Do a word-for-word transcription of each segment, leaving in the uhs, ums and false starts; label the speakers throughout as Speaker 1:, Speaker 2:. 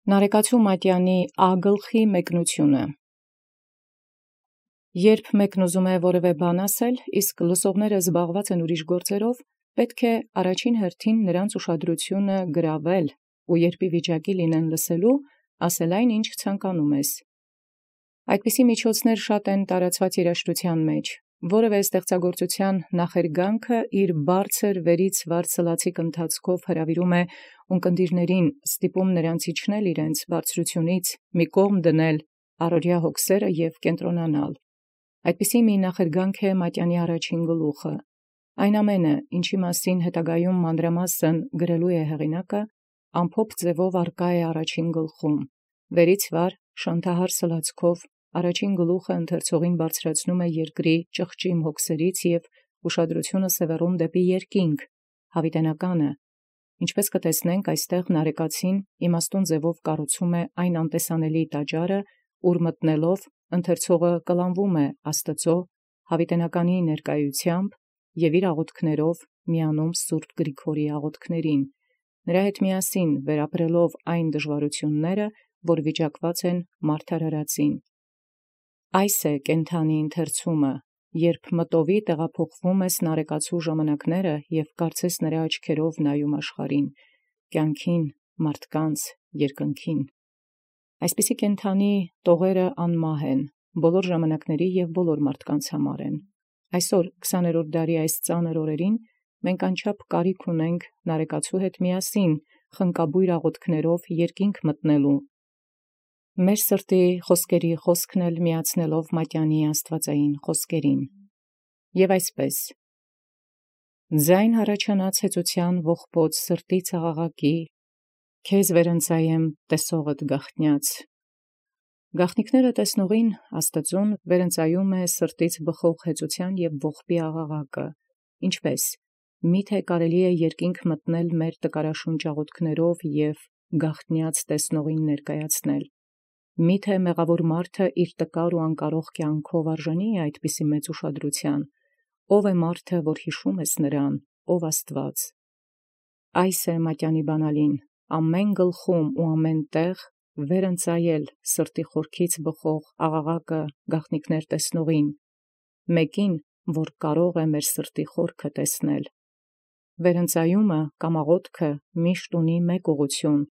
Speaker 1: Նարեկացու մատյանի ագլխի մեկնությունը։ Երբ մեկն ուզում է որևէ բան ասել, իսկ լսողները զբաղված են ուրիշ գործերով, պետք է առաջին հերթին նրանց ուշադրությունը գրավել, ու երբ ի վիճակի լինեն լսելու, ասել այն, ինչ ցանկանում ես։ Այդպիսի միջոցներ շատ են տարածված երաժշտության մեջ։ Որևէ ստեղծագործության նախերգանքը իր բարձր վերից վարձելացիկ ընթացքով հրավիրում է ունկնդիրներին, ստիպում նրանց իջնել իրենց բարձրությունից, մի կողմ դնել առօրյա հոգսերը և կենտրոնանալ։ Այդպիսի մի նախերգանք է մատյանի առաջին գլուխը։ Այն ամենը, ինչի մասին հետագայում մանրամասն գրելու է հեղինակը, ամփոփ ձևով առկա է առաջին գլխում։ Վերից վար շանթահար սլացքով առաջին գլուխը ընթերցողին բարձրացնում է երկրի ճղճիմ հոգսերից և ուշադրությունը սևեռում դեպի երկինք, հավիտենականը։ Ինչպես կտեսնենք, այստեղ նարեկացին իմաստուն ձևով կառուցում է այն անտեսանելի տաճարը, ուր մտնելով ընթերցողը կլանվում է Աստծո հավիտենականի ներկայությամբ և իր աղոթքներով միանում Սուրբ Գրիգորի աղոթքներին, նրա հետ միասին վերապրելով այն դժվարությունները, որ վիճակված են մարդարարածին։ Այս է կենդանի ընթերցումը, երբ մտովի տեղափոխվում ես նարեկացու ժամանակները և կարծես նրա աչքերով նայում աշխարհին, կյանքին, մարդկանց, երկնքին։ Այսպիսի կենդանի տողերը անմահ են, բոլոր ժամանակների և բոլոր մարդկանց համար են։ Այսօր քսաներորդ դարի այս ծանր օրերին մենք անչափ կարիք ունենք նարեկացու հետ միասին խնկաբույր աղոթքներով երկինք մտնելու, մեր սրտի խոսքերի խոսքն էլ միացնելով մատյանի աստվածային խոսքերին։ Եւ այսպես. ձայն հառաչանաց հեծության ողբոց սրտի աղաղակի, քեզ վերընծայեմ տեսողդ գաղտնյաց։ Գաղտնիքները տեսնողին Աստծուն վերընծայում է սրտից բխող հեծության և ողբի աղաղակը, ինչպես միթե կարելի է երկինք մտնել մեր տկարաշունչ աղոթքներով և գաղտնյաց տեսնողին ներկայացնել։ Միթե մեղավոր մարդը իր տկար ու անկարող կյանքով արժանի է այդպիսի մեծ ուշադրության։ Ո՞վ է մարդը, որ հիշում ես նրան, ով Աստված։ Այս է մատյանի բանալին, ամեն գլխում ու ամեն տեղ վերընծայել սրտի խորքից բխող աղաղակը գաղտնիքներ տեսնողին, մեկին, որ կարող է մեր սրտի խորքը տեսնել։ Վերընծայումը կամ աղոթքը միշտ ունի մեկ ուղղություն,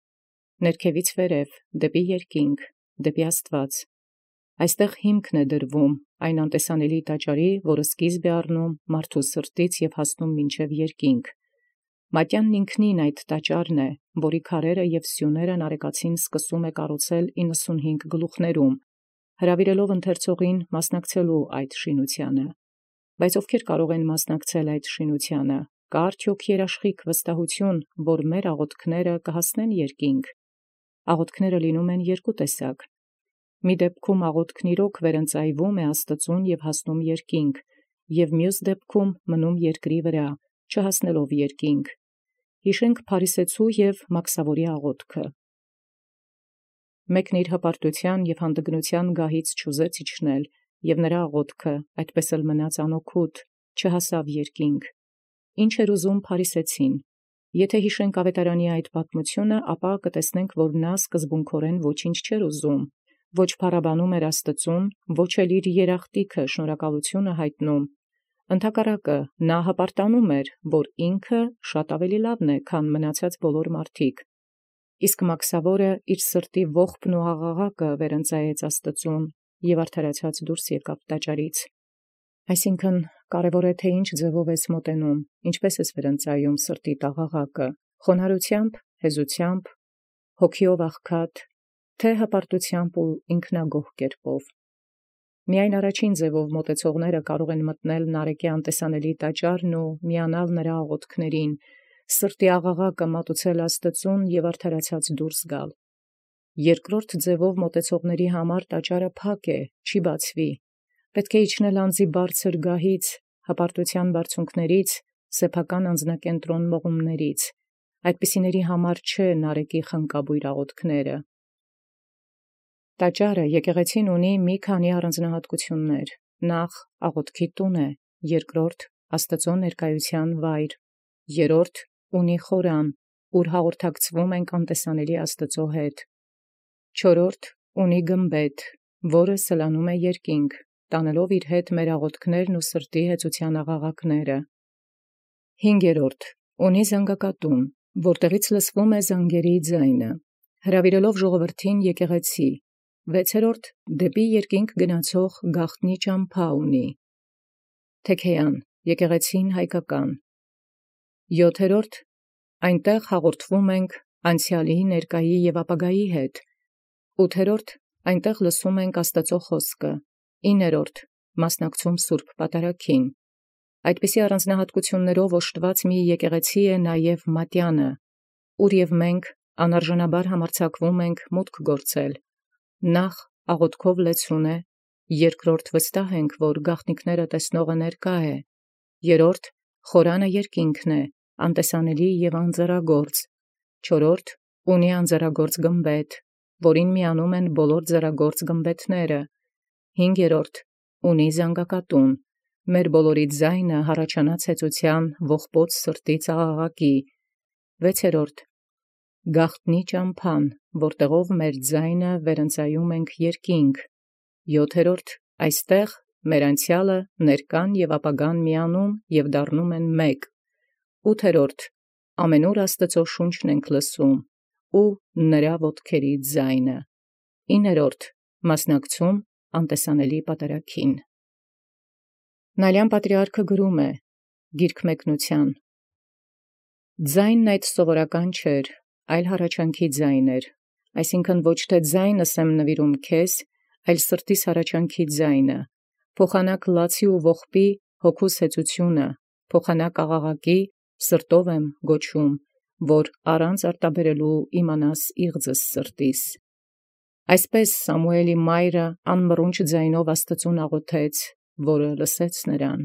Speaker 1: ներքևից վերև, դեպի երկինք, դեպի Աստված։ Այստեղ հիմքն է դրվում այն անտեսանելի տաճարի, որը սկիզբ է առնում մարդու սրտից և հասնում մինչև երկինք։ Մատյանն ինքնին այդ տաճարն է, որի քարերը և սյուները նարեկացին սկսում է կառուցել իննսունհինգ գլուխներում, հրավիրելով ընթերցողին մասնակցելու այդ շինությանը։ Բայց ովքեր կարող են մասնակցել այդ շինությանը, կա արդյոք երաշխիք վստահություն, որ մեր աղոթքները կհասնեն երկինք։ Աղոթքները լինում են երկու տեսակ։ Մի դեպքում աղոթքն իրոք վերընծայվում է Աստծուն և հասնում երկինք, և մյուս դեպքում մնում երկրի վրա, չհասնելով երկինք։ Հիշենք փարիսեցու և մաքսավորի աղոթքը։ Մեկն իր հպարտության և հանդգնության գահից չուզեց իջնել, և նրա աղոթքը այդպես էլ մնաց անօգուտ, չհասավ երկինք։ Ինչ էր ուզում փարիսեցին։ Եթե հիշենք ավետարանի այդ պատմությունը, ապա կտեսնենք, որ նա սկզբունքորեն ոչինչ չէր ուզում, ոչ փառաբանում էր Աստծուն, ոչ էլ իր երախտիքը շնորհակալությունը հայտնում։ Ընդհակառակը, նա հպարտանում էր, որ ինքը շատ ավելի լավն է, քան մնացած բոլոր մարդիկ։ Իսկ մաքսավորը իր սրտի ողբն ու աղաղակը վերընծայեց Աստծուն և արդարացած դուրս եկավ տաճարից։ Այսինքն, կարևոր է, թե ինչ ձևով ես մոտենում, ինչպես ես վերընծայում սրտիդ աղաղակը, խոնարհությամբ, հեզությամբ, հոգիով աղքատ, թե հպարտությամբ ու ինքնագոհ կերպով։ Միայն առաջին ձևով մոտեցողները կարող են մտնել նարեկի անտեսանելի տաճարն ու միանալ նրա աղոթքներին, սրտի աղաղակը մատուցել Աստծուն և արդարացած դուրս գալ։ Երկրորդ ձևով մոտեցողների համար տաճարը փակ է, չի բացվի։ Պետք է իջնել անձի բարձր գահից, հպարտության բարձունքներից, սեփական անձնակենտրոն մղումներից։ Այդպիսիների համար չէ նարեկի խնկաբույր աղոթքները։ Տաճարը եկեղեցին ունի մի քանի առանձնահատկություններ. նախ աղոթքի տուն է, երկրորդ Աստծո ներկայության վայր, երրորդ ունի խորան, ուր հաղորդակցվում ենք անտեսանելի Աստծո հետ, Չորրորդ ունի գմբեթ, որը սլանում է երկինք, տանելով իր հետ մեր աղոթքներն ու սրտի հեծության աղաղակները։ Հինգերորդ ունի զանգակատուն, որտեղից լսվում է զանգերի ձայնը, հրավիրելով ժողովրդին եկեղեցի։ Վեցերորդ դեպի երկինք գնացող գաղտնի ճամփա ունի։ Թեքեան, եկեղեցին հայկական։ Յոթերորդ այնտեղ հաղորդվում ենք անցյալի, ներկայի և ապագայի հետ։ Ութերորդ այնտեղ լսում ենք Աստծո խոսքը։ Իններորդ մասնակցում Սուրբ Պատարագին։ Այդպիսի առանձնահատկություններով օժտված մի եկեղեցի է նաև Մատյանը, ուր և մենք անարժանաբար համարձակվում ենք մուտք գործել։ Նախ աղոթքով լեցուն է, երկրորդ վստահ ենք, որ գաղտնիքները տեսնողը ներկա է, երրորդ խորանը երկինքն է, անտեսանելի և անձեռագործ, չորրորդ ունի անձեռագործ գմբեթ, որին միանում են բոլոր ձեռագործ գմբեթները, հինգերորդ ունի զանգակատուն, մեր բոլորի ձայնը հառաչանած հեծության ողբոց սրտից աղաղակի, վեցերորդ գաղտնի ճամփան, որտեղով մեր ձայնը վերընծայում ենք երկինք, յոթերորդ այստեղ մեր անցյալը, ներկան և ապագան միանում և դառնում են մեկ, ութերորդ ամենուր Աստծո շունչն ենք լսում ու նրա ոտքերի ձայնը, իններորդ մասնակցում անտեսանելի պատարագին։ Նալյան պատրիարքը գրում է Գիրք մեկնության. «Ձայնն այդ սովորական չէր, այլ հառաչանքի ձայն էր, այսինքն ոչ թե ձայնս եմ նվիրում քեզ, այլ սրտիս հառաչանքի ձայնը, փոխանակ լացի ու ողբի հոգուս հեծությունը, փոխանակ աղաղակի սրտով եմ գոչում, որ առանց արտաբերելու իմանաս իղձս սրտիս»։ Այսպես Սամուէլի մայրը անմռունչ ձայնով Աստծուն աղոթեց, որը լսեց նրան։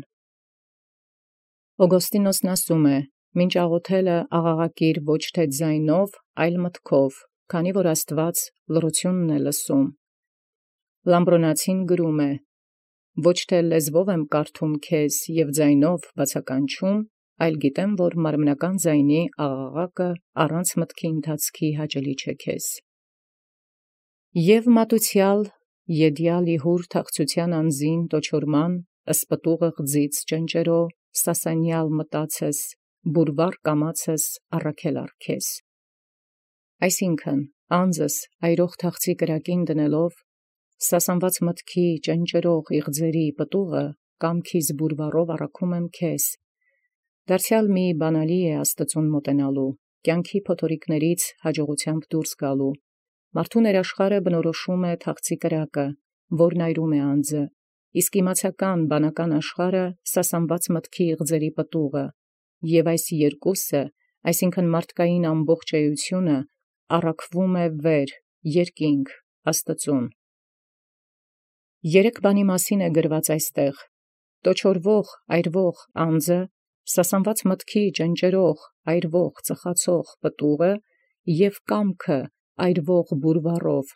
Speaker 1: Օգոստինոսն ասում է. «Մինչ աղոթելը աղաղակիր ոչ թե ձայնով, այլ մտքով, քանի որ Աստված լռությունն է լսում»։ Լամբրոնացին գրում է. «Ոչ թե լեզվով եմ կարդում քեզ և ձայնով բացականչում, այլ գիտեմ, որ մարմնական ձայնի աղաղակը առանց մտքի ընթացքի հաճելի չէ քեզ»։ Եւ մատուցյալ եդյալ իհուր թախծության անձին տոչորման, ըսպտուղը ղձից ճնճերո, սասանյալ մտածես, բուրվար կամացես առաքել առքես։ Այսինքն, անձս այրող թախծի կրակին դնելով, սասանված մտքի ճնճերող իղձերի պտուղը կամքիս բուրվարով առաքում եմ քեզ։ Դարձյալ մի բանալի է Աստծուն մոտենալու, կյանքի փոթորիկներից հաջողությամբ դուրս գալու։ Մարդու ներաշխարը բնորոշում է թախծի կրակը, որն այրում է անձը, իսկ իմացական բանական աշխարհը սասանված մտքի իղձերի պտուղը, և այս երկուսը, այսինքն մարդկային ամբողջ էությունը, առաքվում է վեր, երկինք, Աստծուն։ Երեք բանի մասին է գրված այստեղ. տոչորվող, այրվող անձը, սասանված մտքի ճնճերող, այրվող, ծխացող պտուղը և կամքը այրվող բուրվարով։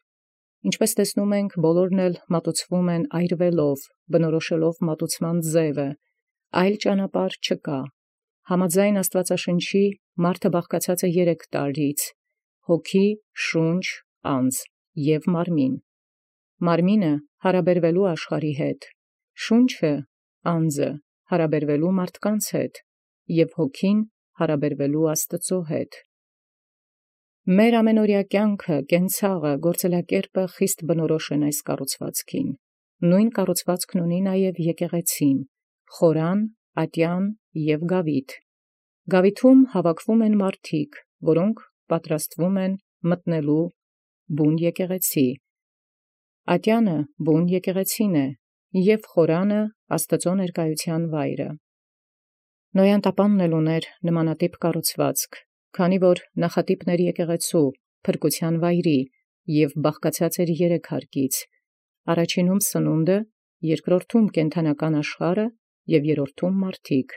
Speaker 1: Ինչպես տեսնում ենք, բոլորն էլ մատուցվում են այրվելով, բնորոշելով մատուցման ձևը, այլ ճանապարհ չկա։ Համաձայն Աստվածաշնչի մարդը բաղկացած է երեք տարրից՝ հոգի, շունչ, անձ և մարմին։ Մարմինը հարաբերվելու աշխարհի հետ, շունչը, անձը հարաբերվելու մարդկանց հետ, և հոգին հարաբերվելու Աստծո հետ։ Մեր ամենօրյա կյանքը, կենցաղը, գործելակերպը խիստ բնորոշ են այս կառուցվածքին։ Նույն կառուցվածքն ունի նաև եկեղեցին՝ խորան, ատյան և գավիթ։ Գավիթում հավաքվում են մարդիկ, որոնք պատրաստվում են մտնելու բուն եկեղեցի։ Ատյանը բուն եկեղեցին է, և խորանը Աստծո ներկայության վայրը։ Նոյան տապանն էլ ուներ նմանատիպ կառուցվածք, քանի որ նախատիպն էր եկեղեցու, փրկության վայրի, և բաղկացած էր երեք հարկից. առաջինում սնունդը, երկրորդում կենդանական աշխարհը և երրորդում մարդիկ։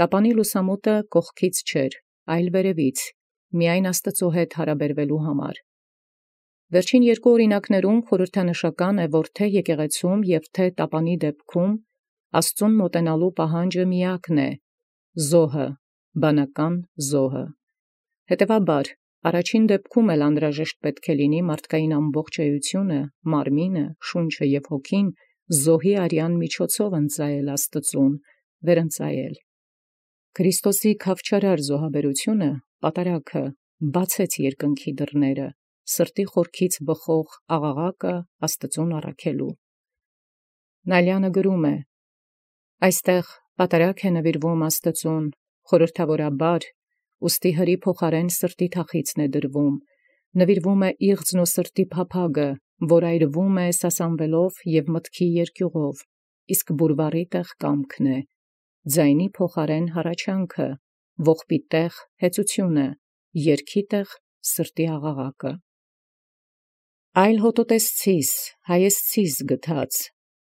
Speaker 1: Տապանի լուսամուտը կողքից չէր, այլ վերևից, միայն Աստծո հետ հարաբերվելու համար։ Վերջին երկու օրինակներում խորհրդանշական է, որ թե եկեղեցում և թե տապանի դեպքում Աստծուն մոտենալու պահանջը միակն է՝ զոհը, բանական զոհը։ Հետևաբար, առաջին դեպքում էլ անհրաժեշտ պետք է լինի մարդկային ամբողջ էությունը, մարմինը, շունչը և հոգին զոհի արյան միջոցով ընծայել Աստծուն, վերընծայել։ Քրիստոսի քավչարար զոհաբերությունը, պատարագը, բացեց երկնքի դռները, սրտի խորքից բխող աղաղակը Աստծուն առաքելու։ Նալյանը գրում է. «Այստեղ պատարագ է նվիրվում Աստծուն, խորհրդավորաբար, ուստի հրի փոխարեն սրտի թախիծն է դրվում, նվիրվում է իղձն ու սրտի փափագը, որ այրվում է սասանվելով և մտքի երկյուղով, իսկ բուրվառի տեղ կամքն է, ձայնի փոխարեն հառաչանքը, ողբի տեղ հեծությունը, երգի տեղ սրտի աղաղակը։ Այլ հոտոտեսցիս, հայեցցիս գթած,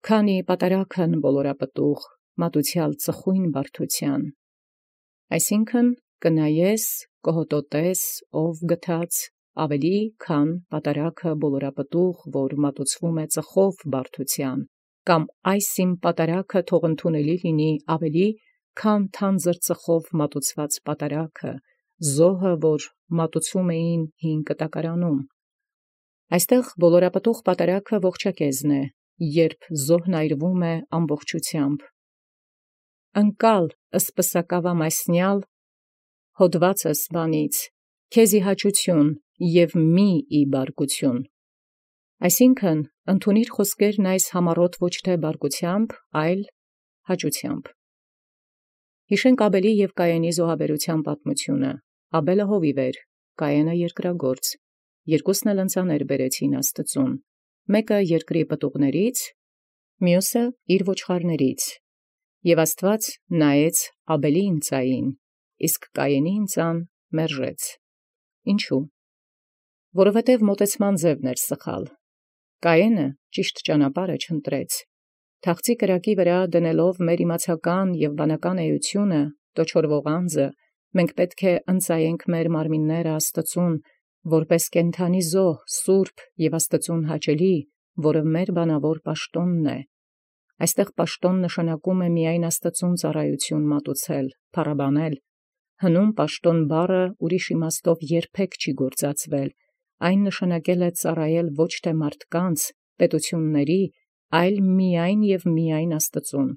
Speaker 1: քանի պատարագն բոլորապտուղ, մատուցյալ ծխույն բարդության։ Այսինքն կնայես, կհոտոտես, ով գթած, ավելի քան պատարագը բոլորապտուղ, որ մատուցվում է ծխով բարդության, կամ այս իմ պատարագը թող ընդունելի լինի ավելի, քան թանձր ծխով մատուցված պատարագը, զոհը, որ մատուցում էին հին կտակարանում։ Այստեղ բոլորապտուղ պատարագը ողջակեզն է, երբ զոհն այրվում է ամբողջությամբ։ Ընկալ ըսպսակավա մասնյալ, հոդվածս բանից, քեզի հաճություն և մի ի բարկություն։ Այսինքն, ընդունիր խոսքերն այս համառոտ ոչ թե բարկությամբ, այլ հաճությամբ։ Հիշենք Աբելի և Կայենի զոհաբերության պատմությունը։ Աբելը հովիվ էր, Կայենը երկրագործ, երկուսն էլ ընծաներ բերեցին Աստծուն, մեկը երկրի պտուղներից, մյուսը իր ոչխարներից, և Աստված նայեց Աբելի ընծային, իսկ Կայենի ընծան մերժեց։ Ինչու՞։ Որովհետև մոտեցման ձևն էր սխալ։ Կայենը ճիշտ ճանապարհը չընտրեց։ Թախծի կրակի վրա դնելով մեր իմացական և բանական էությունը, տոչորվող անձը, մենք պետք է ընծայենք մեր մարմինները Աստծուն, որպես կենդանի զոհ, սուրբ և Աստծուն հաճելի, որը մեր բանավոր պաշտոնն է։ Այստեղ պաշտոն նշանակում է միայն Աստծուն ծառայություն մատուցել, փառաբանել։ Հնում պաշտոն բառը ուրիշ իմաստով երբեք չի գործածվել, այն նշանակել է ծառայել ոչ թե մարդկանց, պետությունների, այլ միայն և միայն Աստծուն։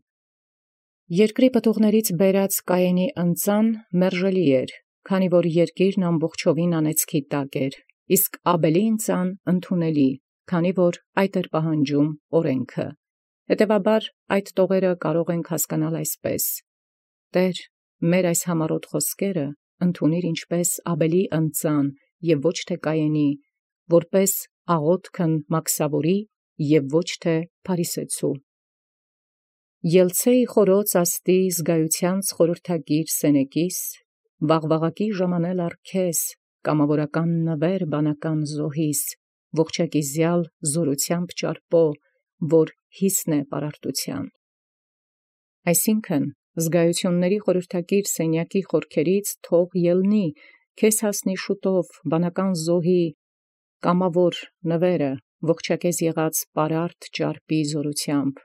Speaker 1: Երկրի պտուղներից բերած Կայենի ընծան մերժելի էր, քանի որ երկիրն ամբողջովին անեծքի տակ էր, իսկ Աբելի ընծան ընդունելի, քանի որ այդ էր պահանջում օրենքը։ Հետևաբար այդ տողերը կարող ենք հասկանալ այսպես. «Տէր, մեր այս համառոտ խոսքերը ընդունիր ինչպես Աբելի ընծան և ոչ թե Կայենի, որպես աղոթքն մաքսավորի և ոչ թե փարիսեցու։ Ելցէ՛ի խորոց աստի զգայութեանց խորհրդագիր սենեկիս, վաղվաղակի ժամանել ար քեզ, կամավորական նվեր բանական զոհիս, ողջակիզյալ զօրութեամբ ճարպո, որ հիսն է պարարտութեան»։ Այսինքն, զգայությունների խորհրդագիր սենյակի խորքերից թող ելնի, քեզ հասնի շուտով բանական զոհի կամավոր նվերը, ողջակեզ եղած պարարտ ճարպի զօրութեամբ։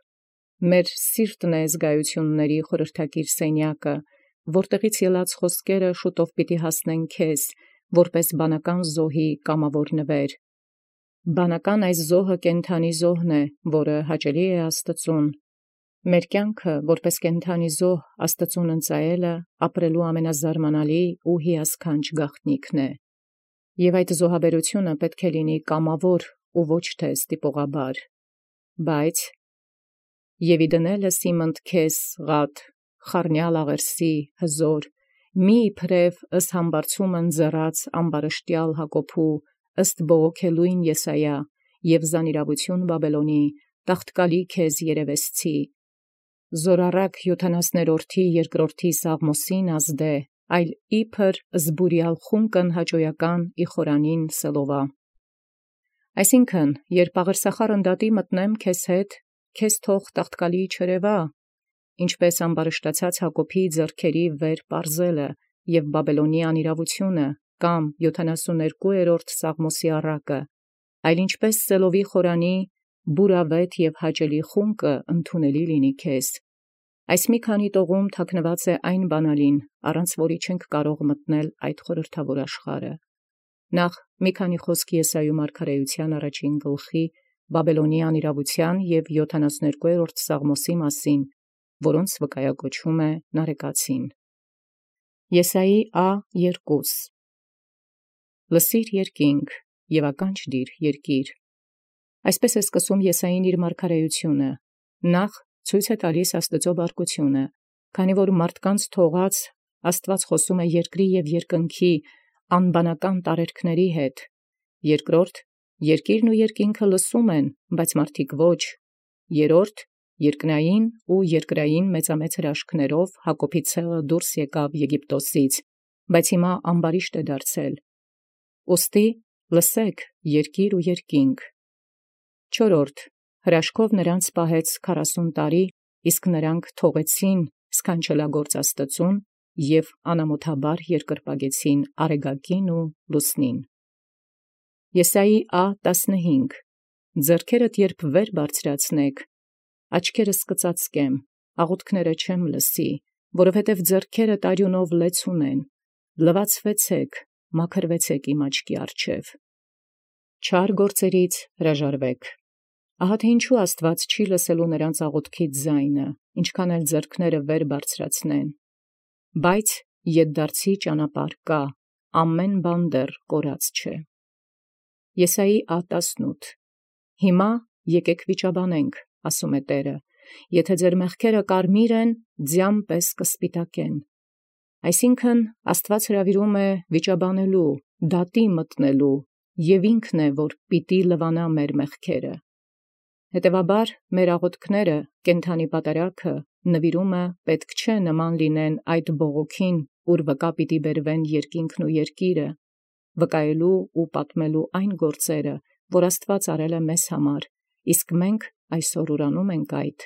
Speaker 1: Մեր սիրտն է զգայությունների խորհրդագիր սենյակը, որտեղից ելած խոսքերը շուտով պիտի հասնեն քեզ, որպես բանական զոհի կամավոր նվեր։ Բանական այս զոհը կենդանի զոհն է, որը հաճելի է Աստծուն։ Մեր կյանքը, որպես կենդանի զոհ Աստծուն ընծայելը, ապրելու ամենազարմանալի ու հիասքանչ գաղտնիքն է։ Եվ այդ զոհաբերությունը պետք է լինի կամավոր ու ոչ թե ստիպողաբար։ Բայց «Եւ իդնելս իմ ընդքես ղադ, խառնյալ աղերսի հզոր, մի իբրև ըստ համբարձումն ձեռած ամբարշտյալ Հակոբու, ըստ բողոքելույն Եսայիա, և զանիրավություն Բաբելոնի, տաղտկալի քեզ երևեսցի, զորառակ յոթանասներորդի երկրորդի Սաղմոսին ազդե, այլ իբր զբուրյալ խունկն հաճոյական ի խորանին սելովա։ Այսինքն, երբ աղերսախառն դատի մտնեմ քեզ հետ, քեզ թող տաղտկալի չերևա, ինչպես ամբարշտացած Հակոբի ձեռքերի վեր պարզելը և Բաբելոնի անիրավությունը, կամ յոթանասուներկուերորդ Սաղմոսի առակը, այլ ինչպես սելովի խորանի բուրավետ և հաճելի խունկը ընդունելի լինի քեզ։ Այս մի քանի տողում թաքնված է այն բանալին, առանց որի չենք կարող մտնել այդ խորհրդավոր աշխարհը։ Նախ մի քանի խոսք Եսայիու մարգարեության առաջին գլխի Բաբելոնի անիրաւութեան և յոթանասուներկուերորդ Սաղմոսի մասին, որոնց վկայակոչում է նարեկացին։ Եսայի ա երկուս. Լսիր երկինք, և ականջ դիր երկիր։ Այսպես է սկսում Եսային իր մարգարեությունը, նախ ցույց է տալիս Աստուծո բարկությունը, քանի որ մարդկանց թողած Աստված խոսում է երկրի և երկնքի անբանական տարերքների հետ. երկրորդ, երկիրն ու երկինքը լսում են, բայց մարդիկ ոչ. երրորդ, երկնային ու երկրային մեծամեծ հրաշքներով Հակոբի ցեղը դուրս եկավ Եգիպտոսից, բայց հիմա ամբարիշտ է դարձել։ Ուստի լսեք, երկիր ու երկինք։ Չորրորդ, հրաշքով նրանց պահեց քառասուն տարի, իսկ նրանք թողեցին սքանչելագործ Աստծուն և անամոթաբար երկրպագեցին արեգակին ու լուսնին։ Եսայի ա տասնհինգ. Ձեռքերդ երբ վեր բարձրացնեք, աչքերս կծածկեմ, աղոթքները չեմ լսի, որովհետև ձեռքերդ արյունով լեց ունեն, լվացվեցեք, մաքրվեցեք իմ աչքի առջև։ Չար գործերից հրաժարվեք։ Ահա թե ինչու Աստված չի լսելու նրանց աղոթքից ձայնը, ինչքան էլ ձեռքները վեր բարձրացնեն։ Բայց ետդարձի ճանապարհ կա, ամեն բան դեռ կորած չէ։ Եսայի ա տասնութ. Հիմա եկեք վիճաբանենք, ասում է Տէրը, եթե ձեր մեղքերը կարմիր են, ձյան պես կսպիտակեն։ Այսինքն Աստված հրավիրում է վիճաբանելու, դատի մտնելու, և ինքն է, որ պիտի լվանա մեր մեղքերը։ Հետևաբար մեր աղոթքները, կենդանի պատարագը, նվիրումը պետք չէ նման լինեն այդ բողոքին, ուր վկա պիտի բերվեն երկինքն ու երկիրը, վկայելու ու պատմելու այն գործերը, որ Աստված արել է մեզ համար, իսկ մենք այսօր ուրանում ենք այդ,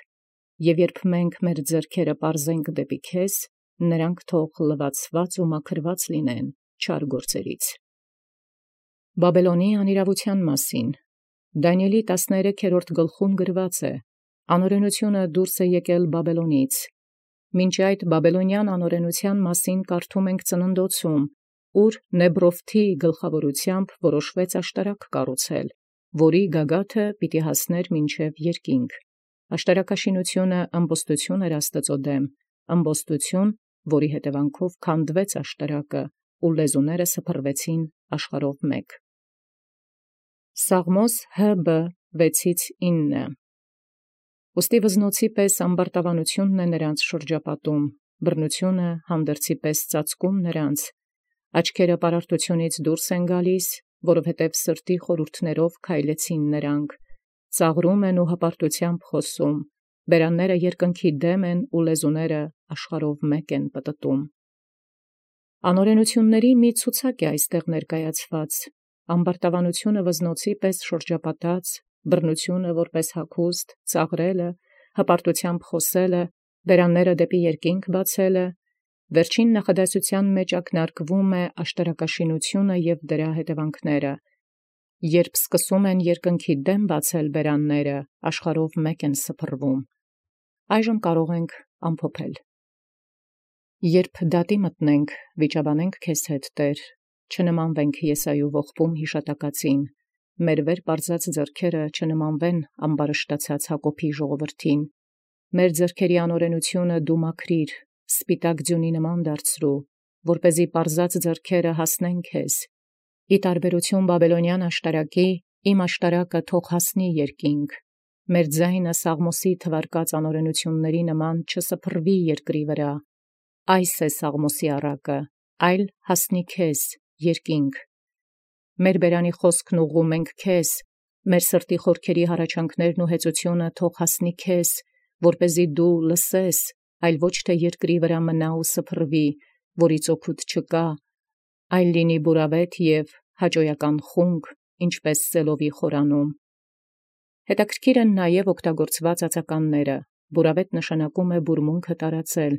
Speaker 1: և երբ մենք մեր ձեռքերը պարզենք դեպի քեզ, նրանք թող լվացված ու մաքրված լինեն չար գործերից։ Բաբելոնի անիրաւութեան մասին Դանիէլի տասներեքերորդ գլխում գրված է. «Անօրենությունը դուրս է եկել Բաբելոնից»։ Մինչ այդ բաբելոնյան անօրենութեան մասին կարդում ենք Ծննդոցում, ուր Նեբրովթի գլխավորությամբ որոշվեց աշտարակ կառուցել, որի գագաթը պիտի հասներ մինչև երկինք։ Աշտարակաշինությունը ըմբոստություն էր Աստծո դեմ, ըմբոստություն, որի հետևանքով քանդվեց աշտարակը, ու լեզուները սփռվեցին աշխարհով մեկ։ Սաղմոս Հ Բ վեցից ինը. Ուստի վզնոցի պես ամբարտավանությունն է նրանց շրջապատում, բռնությունը հանդերձի պես ծածկում նրանց, աչքերը պարարտությունից դուրս են գալիս, որովհետև սրտի խորհուրդներով քայլեցին նրանք, ծաղրում են ու հպարտությամբ խոսում, բերանները երկնքի դեմ են ու լեզուները աշխարհով մեկ են պտտում։ Անօրենությունների մի ցուցակ է այստեղ ներկայացված, ամբարտավանությունը վզնոցի պես շրջապատած, բռնությունը որպես հագուստ, ծաղրելը, հպարտությամբ խոսելը, բերանները դեպի երկինք բացելը, վերջին նախադասության մեջ ակնարկվում է աշտարակաշինությունը և դրա հետևանքները, երբ սկսում են երկնքի դեմ բացել բերանները, աշխարհով մեկ են սփռվում։ Այժմ կարող ենք ամփոփել։ Երբ դատի մտնենք, վիճաբանենք քեզ հետ, Տեր, չնմանվենք Եսայիու ողբում յիշատակածին, մեր վեր պարզած ձեռքերը չնմանվեն ամբարշտացած Հակոբի ժողովրդին, մեր ձեռքերի անօրենությունը դու մաքրիր, սպիտակ ձյունի նման դարձրու, որպեսզի պարզած ձեռքերը հասնեն քեզ։ Ի տարբերություն բաբելոնյան աշտարակի, իմ աշտարակը թող հասնի երկինք, մեր ձայնը Սաղմոսի թվարկած անօրենությունների նման չսփռվի երկրի վրա։ Այս է Սաղմոսի առակը, այլ հասնի քեզ, երկինք։ Մեր բերանի խոսքն ուղղում ենք քեզ, մեր սրտի խորքերի հառաչանքներն ու հեծությունը թող հասնի քեզ, որպեսզի դու լսես, այլ ոչ թե երկրի վրա մնա ու սփռվի, որից օգուտ չկա, այլ լինի բուրավետ և հաճոյական խունկ, ինչպես սելովի խորանում։ Հետաքրքիր են նաև օգտագործված ածականները, բուրավետ նշանակում է բուրմունքը տարածել,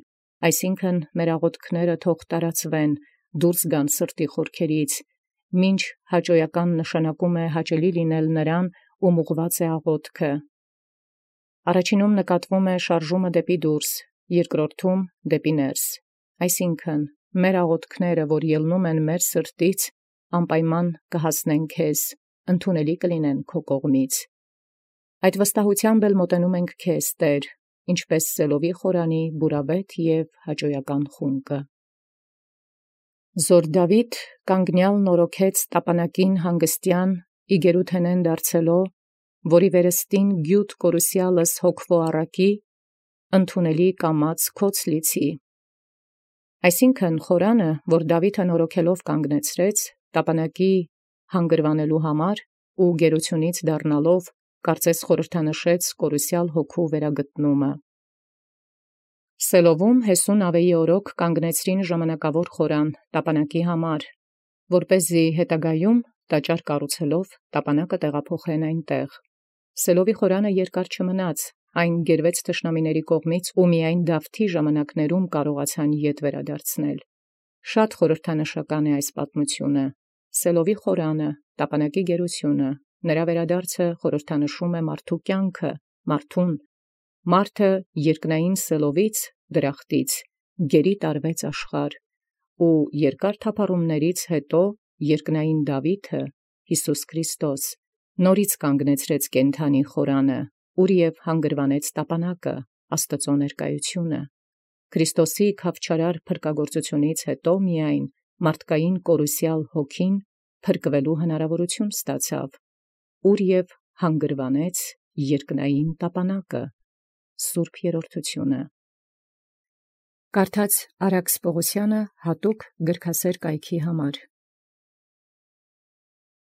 Speaker 1: այսինքն մեր աղոթքները թող տարածվեն, դուրս գան սրտի խորքերից, մինչ հաճոյական նշանակում է հաճելի լինել նրան, ում ուղղված է աղոթքը։ Առաջինում նկատվում է շարժումը դեպի դուրս, երկրորդում դեպի ներս, այսինքն մեր աղոթքները, որ ելնում են մեր սրտից, անպայման կհասնեն քեզ, ընդունելի կլինեն քո կողմից։ Այդ վստահությամբ էլ մոտենում ենք քեզ, Տեր, ինչպես սելովի խորանի բուրավետ և հաճոյական խունկը։ Զոր Դաւիթ կանգնեալ նորոգեց տապանակին հանգստեան իգերութենեն դարձելո, որի վերստին գիւտ կորուսեալս հոգվո առակի, ընդունելի կամած քոց լիցի։ Այսինքն խորանը, որ Դաւիթը նորոգելով կանգնեցրեց, տապանակի հանգրվանելու համար ու գերությունից դառնալով, կարծես խորհրդանշեց կորուսյալ հոգու վերագտնումը։ Սելովում Հեսուն ավեի օրոք կանգնեցրին ժամանակավոր խորան տապանակի համար, որպեսզի հետագայում տաճար կառուցելով տապանակը տեղափոխեն այնտեղ։ Սելովի խորանը երկար չմնաց, այն գերվեց թշնամիների կողմից ու միայն Դավթի ժամանակներում կարողացան ետ վերադարձնել։ Շատ խորհրդանշական է այս պատմությունը։ Սելովի խորանը, տապանակի գերությունը, նրա վերադարձը խորհրդանշում է մարդու կյանքը, մարդուն։ Մարդը երկնային Սելովից, դրախտից, գերի տարվեց աշխարհ, ու երկար թափառումներից հետո երկնային Դաւիթը, Յիսուս Քրիստոս, նորից կանգնեցրեց կենդանի խորանը, ուր և հանգրվանեց տապանակը, Աստծո ներկայությունը։ Քրիստոսի քավչարար փրկագործությունից հետո միայն մարդկային կորուսյալ հոգին փրկվելու հնարավորություն ստացավ, ուր և հանգրվանեց երկնային տապանակը, Սուրբ Երրորդությունը։ Կարդաց Արաքս Պողոսյանը հատուկ գրքասեր կայքի համար։